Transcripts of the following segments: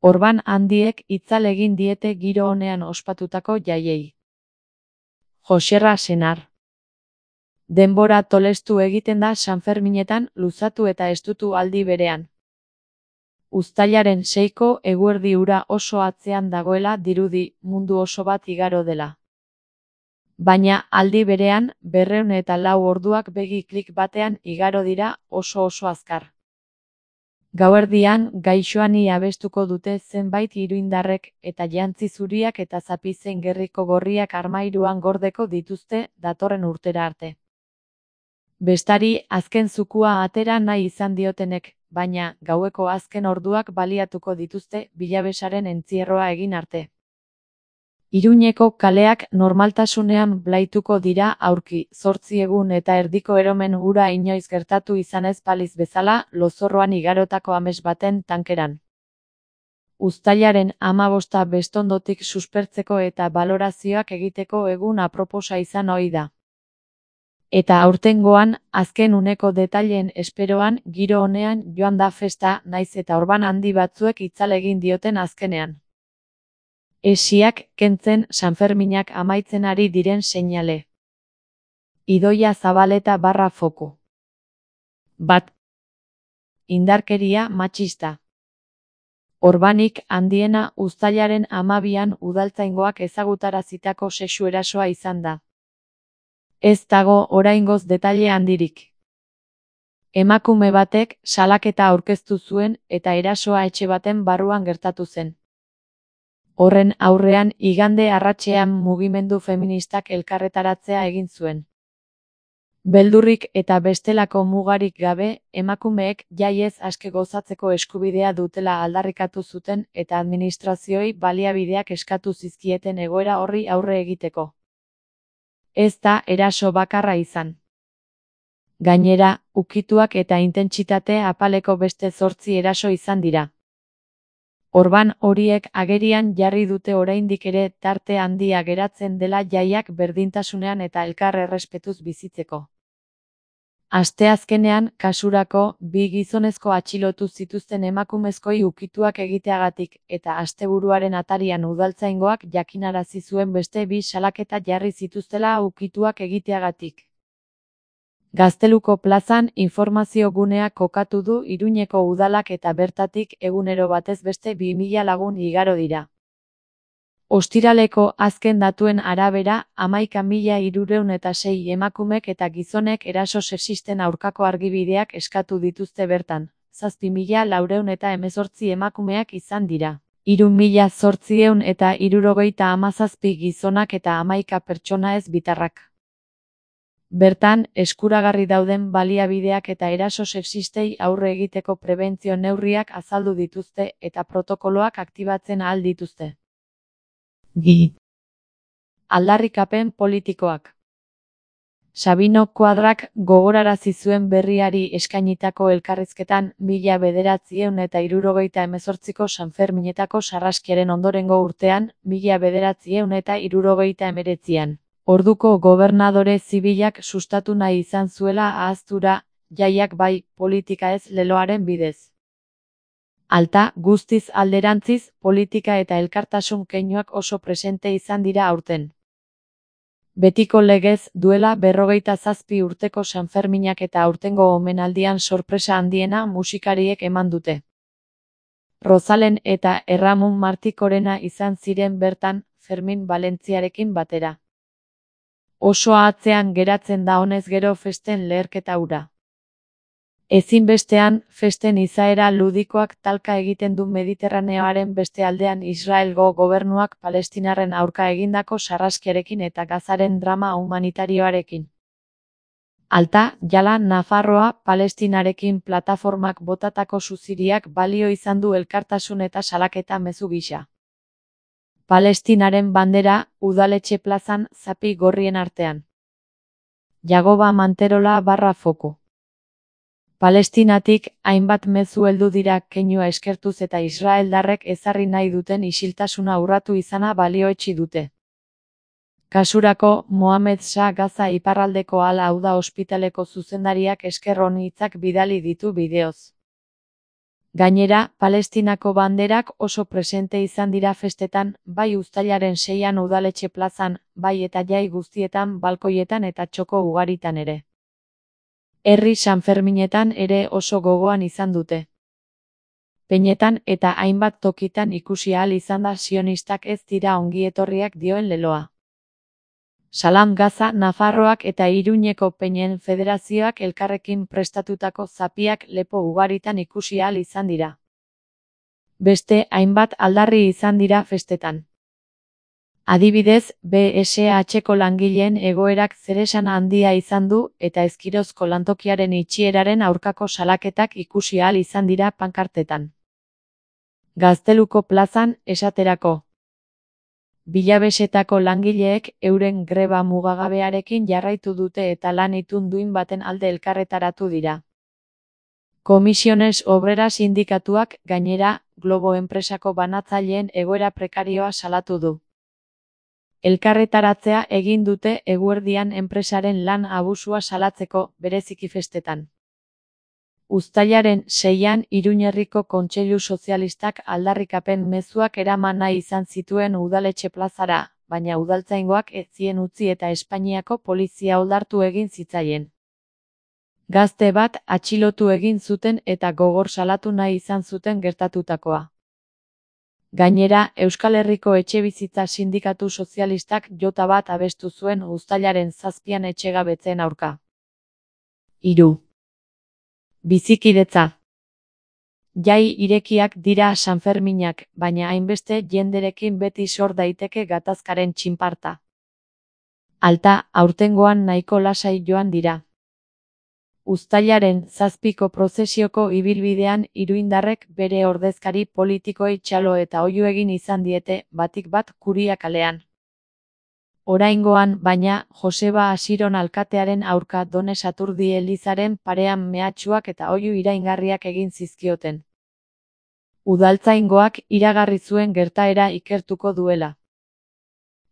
Orban handiek itzal egin diete giro onean ospatutako jaiei. Joserra Senar. Denbora tolestu egiten da Sanferminetan luzatu eta estutu aldi berean. Uztailaren 6ko eguerdi ura oso atzean dagoela dirudi mundu oso bat igaro dela. Baina aldi berean 204 orduak begi klik batean igaro dira oso azkar. Gauerdian gaixoani abestuko dute zenbait iruindarrek eta jantzi zuriak eta zapizen gerriko gorriak armairuan gordeko dituzte datorren urtera arte. Bestari azken zukua atera nahi izan diotenek, baina gaueko azken orduak baliatuko dituzte bilabesaren entzierroa egin arte. Iruñeko kaleak normaltasunean blaituko dira aurki 8 egun eta erdiko eromen ura inoiz gertatu izanez baliz bezala lozorroan igarotako ames baten tankeran. Uztailaren 15 bestondotik suspertzeko eta balorazioak egiteko egun aproposa izan ohi da. Eta aurtengoan, azken uneko detaileen esperoan giro onean joan da festa naiz eta Orban handi batzuek itzal egin dioten azkenean. Esiak kentzen Sanferminak amaitzen ari diren seinale. Idoia Zabaleta /foku. 1. Indarkeria matxista. Orbanik handiena uztailaren 12an udaltzaingoak ezagutarazitako sexu erasoa izan da. Ez dago oraingoz detaile handirik. Emakume batek salaketa aurkeztu zuen eta erasoa etxe baten barruan gertatu zen. Horren aurrean igande arratsean mugimendu feministak elkarretaratzea egin zuen. Beldurrik eta bestelako mugarik gabe, emakumeek jaiez aske gozatzeko eskubidea dutela aldarrikatu zuten eta administrazioei baliabideak eskatu zizkieten egoera horri aurre egiteko. Ez da eraso bakarra izan. Gainera, ukituak eta intentsitate apaleko beste 8 eraso izan dira. Orban horiek agerian jarri dute oraindik ere tarte handia geratzen dela jaiak berdintasunean eta elkar errespetuz bizitzeko. Asteazkenean, kasurako, 2 gizonezko atxilotu zituzten emakumezkoi ukituak egiteagatik eta asteburuaren atarian udaltzaingoak jakinarazi zuen beste 2 salaketa jarri zituztela ukituak egiteagatik. Gazteluko plazan informazio gunea kokatu du Iruñeko udalak eta bertatik egunero batez beste 2000 lagun igaro dira. Ostiraleko azken datuen arabera, 11.306 emakumek eta gizonek eraso sexisten aurkako argibideak eskatu dituzte bertan, 7.418 emakumeak izan dira. 3.877 gizonak eta 11 pertsona ez bitarrak. Bertan, eskuragarri dauden baliabideak eta eraso sexistei aurre egiteko prebentzio neurriak azaldu dituzte eta protokoloak aktibatzen ahal dituzte. Aldarrikapen politikoak. Sabino Kuadrak gogorarazi zuen Berriari eskainitako elkarrizketan 1978ko Sanferminetako sarraskiaren ondorengo urtean, 1979an. Orduko gobernadore zibilak sustatu nahi izan zuela ahaztura, jaiak bai, politika ez leloaren bidez. Alta, guztiz alderantziz, politika eta elkartasun keinuak oso presente izan dira aurten. Betiko legez, duela 57 urteko Sanferminak eta aurtengo omenaldian sorpresa handiena musikariek eman dute. Rozalen eta Erramun Martikorena izan ziren bertan, Fermin Valentziarekin batera. Oso atzean geratzen da honez gero festen leherketa hura. Ezinbestean, festen izaera ludikoak talka egiten du Mediterraneoaren beste aldean Israelgo gobernuak Palestinarren aurka egindako sarraskiarekin eta Gazaren drama humanitarioarekin. Alta, jala Nafarroa Palestinarekin plataformak botatako suziriak balio izan du elkartasun eta salaketa mezu gisa. Palestinaren bandera, udaletxe plazan, zapi gorrien artean. Jagoba Manterola /foku. Palestinatik, hainbat mezu heldu dira keinua eskertuz eta israeldarrek ezarri nahi duten isiltasuna urratu izana balioetsi dute. Kasurako, Mohamed Shah Gaza iparraldeko Al-Auda ospitaleko zuzendariak esker on hitzak bidali ditu bideoz. Gainera, Palestinako banderak oso presente izan dira festetan, bai uztailaren 6an udaletxe plazan, bai eta jai guztietan, balkoietan eta txoko ugaritan ere. Herri Sanferminetan ere oso gogoan izan dute. Peñetan eta hainbat tokitan ikusi ahal izan da sionistak ez dira ongietorriak dioen leloa. Salam Gaza, Nafarroak eta Iruñeko Peñen Federazioak elkarrekin prestatutako zapiak lepo ugaritan ikusi ahal izan dira. Beste hainbat aldarri izan dira festetan. Adibidez, BSH-ko langileen egoerak zeresan handia izan du eta Ezkirozko lantokiaren itxieraren aurkako salaketak ikusi ahal izan dira pankartetan. Gazteluko plazan, esaterako. Bilabesetako langileek euren greba mugagabearekin jarraitu dute eta lan itun duin baten alde elkarretaratu dira. Comisiones Obreras sindikatuak, gainera, Globo enpresako banatzaileen egoera prekarioa salatu du. Elkarretaratzea egin dute eguerdian enpresaren lan abusua salatzeko, bereziki festetan. Uztailaren 6an Iruñerriko Kontseilu Sozialistak aldarrikapen mezuak eraman nahi izan zituen udaletxe plazara, baina udaltzaingoak ez zien utzi eta Espainiako polizia oldartu egin zitzaien. Gazte bat atxilotu egin zuten eta gogor salatu nahi izan zuten gertatutakoa. Gainera, Euskal Herriko Etxebizitza Sindikatu Sozialistak jota bat abestu zuen uztailaren 7an etxegabetzeen aurka. 3. Bizikidetza. Jai irekiak dira Sanferminak, baina hainbeste jenderekin beti sor daiteke gatazkaren txinparta. Alta, aurtengoan nahiko lasai joan dira. Uztailaren 7ko prozesioko ibilbidean iruindarrek bere ordezkari politikoei txalo eta oihu egin izan diete, batik bat Kuria kalean. Oraingoan, baina, Joseba Asiron alkatearen aurka Done Saturdi elizaren parean mehatxuak eta oihu iraingarriak egin zizkioten. Udaltzaingoak iragarri zuen gertaera ikertuko duela.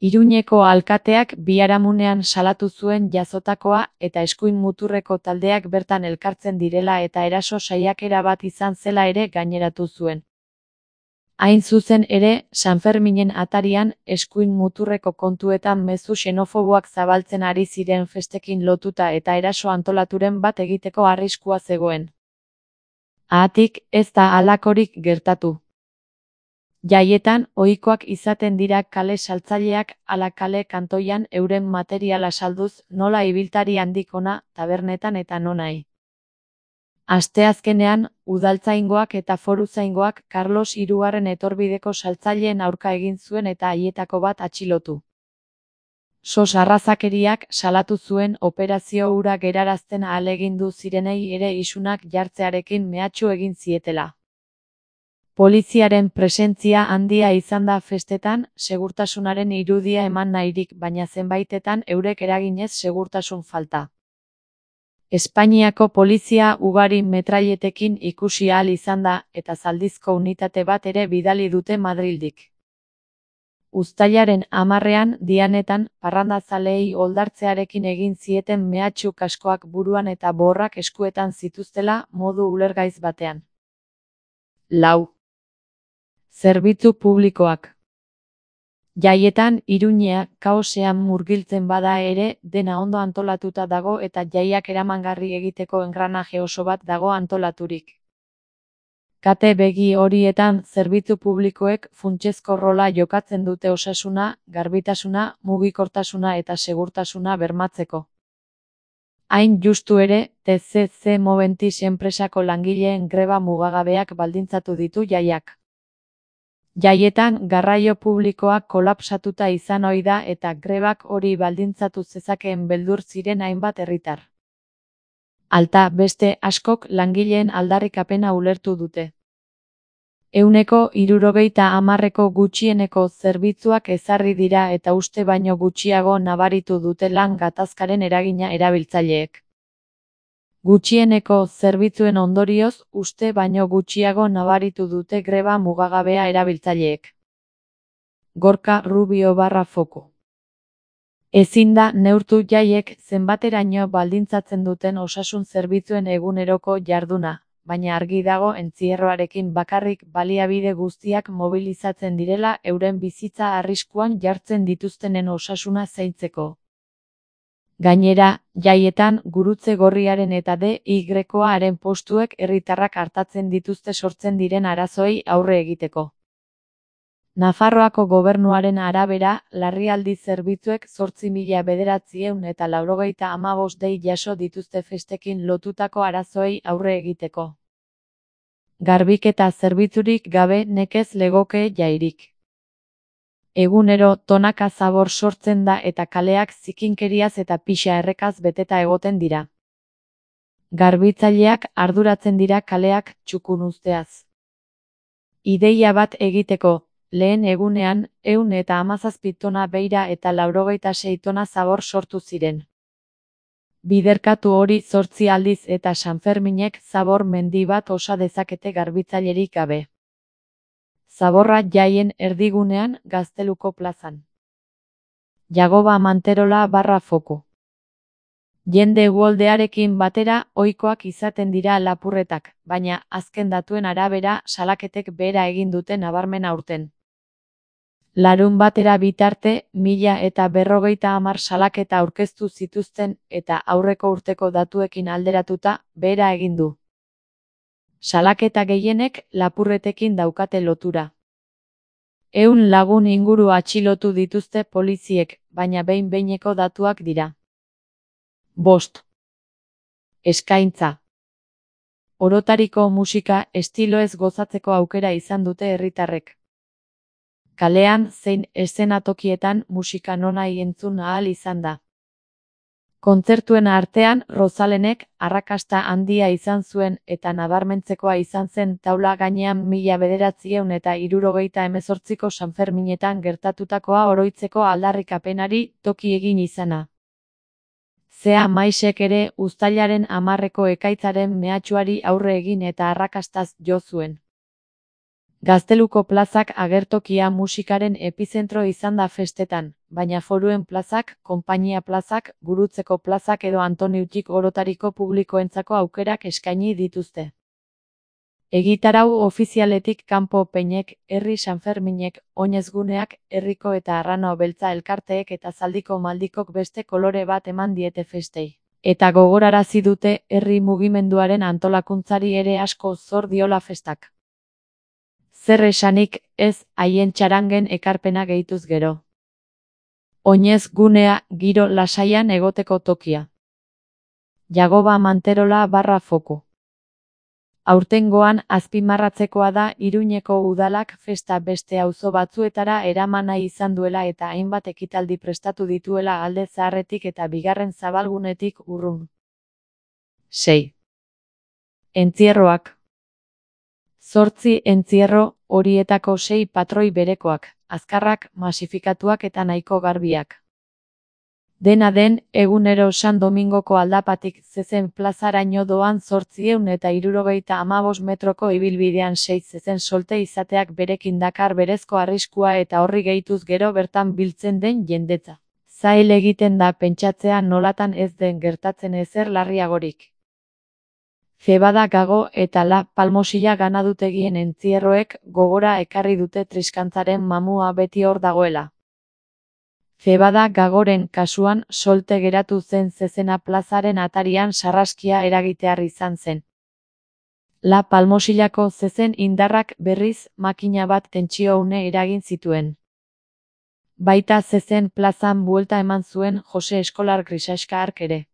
Iruñeko alkateak biharamunean salatu zuen jazotakoa eta eskuin muturreko taldeak bertan elkartzen direla eta eraso saiakera bat izan zela ere gaineratu zuen. Hain zuzen ere, Sanferminen atarian, eskuin muturreko kontuetan mezu xenofoboak zabaltzen ari ziren festekin lotuta eta eraso antolaturen bat egiteko arriskua zegoen. Haatik, ez da halakorik gertatu. Jaietan, ohikoak izaten dira kale saltzaileak ala kale kantoian euren materiala salduz nola ibiltari handik ona, tabernetan eta nonahi. Asteazkenean, udaltzaingoak eta foruzaingoak Carlos Hirugarren etorbideko saltzaileen aurka egin zuen eta haietako bat atxilotu. Sos arrazakeriak salatu zuen operazio hura gerarazten ahalegindu zirenei ere isunak jartzearekin mehatxu egin zietela. Poliziaren presentzia handia izan da festetan, segurtasunaren irudia eman nahirik, baina zenbaitetan eurek eraginez segurtasun falta. Espainiako polizia ugari metrailetekin ikusi ahal izan da eta zaldizko unitate bat ere bidali dute Madrildik. Uztailaren 10ean Dianetan parrandazaleei oldartzearekin egin zieten mehatxu kaskoak buruan eta borrak eskuetan zituztela modu ulergaiz batean. 4. Zerbitzu publikoak. Jaietan Iruñea kaosean murgiltzen bada ere, dena ondo antolatuta dago eta jaiak eramangarri egiteko engranaje oso bat dago antolaturik. Kate begi horietan zerbitzu publikoek funtsezko rola jokatzen dute osasuna, garbitasuna, mugikortasuna eta segurtasuna bermatzeko. Hain justu ere, TCC Moventis enpresako langileen greba mugagabeak baldintzatu ditu jaiak. Jaietan garraio publikoa kolapsatuta izan ohi da eta grebak hori baldintzatu zezakeen beldur ziren hainbat herritar. Alta, beste askok langileen aldarrikapena ulertu dute. 70% gutxieneko zerbitzuak ezarri dira eta uste baino gutxiago nabaritu dute lan gatazkaren eragina erabiltzaileek. Gutxieneko zerbitzuen ondorioz, uste baino gutxiago nabaritu dute greba mugagabea erabiltzaileek. Gorka Rubio /Foku. Ezin da neurtu jaiek zenbateraino baldintzatzen duten osasun zerbitzuen eguneroko jarduna, baina argi dago entzierroarekin bakarrik baliabide guztiak mobilizatzen direla euren bizitza arriskuan jartzen dituztenen osasuna zaintzeko. Gainera, jaietan gurutze gorriaren eta DY-aren postuek herritarrak artatzen dituzte sortzen diren arazoei aurre egiteko. Nafarroako gobernuaren arabera, larrialdi zerbitzuek 8.995 dei jaso dituzte festekin lotutako arazoei aurre egiteko. Garbiketa zerbitzurik gabe nekez legoke jairik. Egunero tonaka zabor sortzen da eta kaleak zikinkeriaz eta pixa errekaz beteta egoten dira. Garbitzaileak arduratzen dira kaleak txukun uzteaz. Ideia bat egiteko, lehen egunean, 117 tona beira eta 96 tona zabor sortu ziren. Biderkatu hori 8 aldiz eta Sanferminek zabor mendi bat osa dezakete garbitzailerik gabe. Zaborra jaien erdigunean Gazteluko plazan. Jagoba Manterola /Foku. Jende uholdearekin batera ohikoak izaten dira lapurretak, baina azken datuen arabera salaketek behera egin dute nabarmen aurten. Larunbatera bitarte 1050 salaketa aurkeztu zituzten eta aurreko urteko datuekin alderatuta behera egin du. Salaketa gehienek lapurretekin daukate lotura. 100 lagun inguru atxilotu dituzte poliziek, baina behin-behineko datuak dira. 5. Eskaintza. Orotariko musika estiloez gozatzeko aukera izan dute herritarrek. Kalean zein eszenatokietan musika nonahi entzun ahal izan da. Kontzertuen artean Rozalenek arrakasta handia izan zuen eta nabarmentzekoa izan zen taula gainean 1978ko Sanferminetan gertatutakoa oroitzeko aldarrikapenari toki egin izana. Zea Maisek ere uztailaren 10ko ekaitzaren mehatxuari aurre egin eta arrakastaz jo zuen. Gazteluko plazak agertokia musikaren epizentro izan da festetan, baina Foruen plazak, Konpainia plazak, Gurutzeko plazak edo Antoniutik orotariko publikoentzako aukerak eskaini dituzte. Egitarau ofizialetik kanpo Peinek, Herri Sanferminek, Oinezguneak, Herriko eta Arrano Beltza elkarteek eta Zaldiko Maldikok beste kolore bat eman diete festei. Eta gogorarazi dute herri mugimenduaren antolakuntzari ere asko zor diola festak. Zer esanik ez haien txarangen ekarpena gehituz gero. Oinezgunea giro lasaian egoteko tokia. Jagoba Manterola /Foku. Aurtengoan azpimarratzekoa da Iruñeko udalak festa beste auzo batzuetara eraman nahi izan duela eta hainbat ekitaldi prestatu dituela Alde Zaharretik eta bigarren zabalgunetik urrun. 6. Entzierroak. 8 entzierro, horietako 6 patroi berekoak, azkarrak, masifikatuak eta nahiko garbiak. Dena den, egunero San Domingoko aldapatik zezen plazaraino doan 875 metroko ibilbidean 6 zezen solte izateak berekin dakar berezko arriskua eta horri gehituz gero bertan biltzen den jendetza. Zail egiten da pentsatzea nolatan ez den gertatzen ezer larriagorik. Cebada Gago eta La Palmosilla ganadutegien entzierroek gogora ekarri dute triskantzaren mamua beti hor dagoela. Cebada Gagoren kasuan solte geratu zen zezena plazaren atarian sarraskia eragitear izan zen. La Palmosillako zezen indarrak berriz makina bat tentsio une eragin zituen. Baita zezen plazan buelta eman zuen Jose Eskolar Grisaxka hark ere.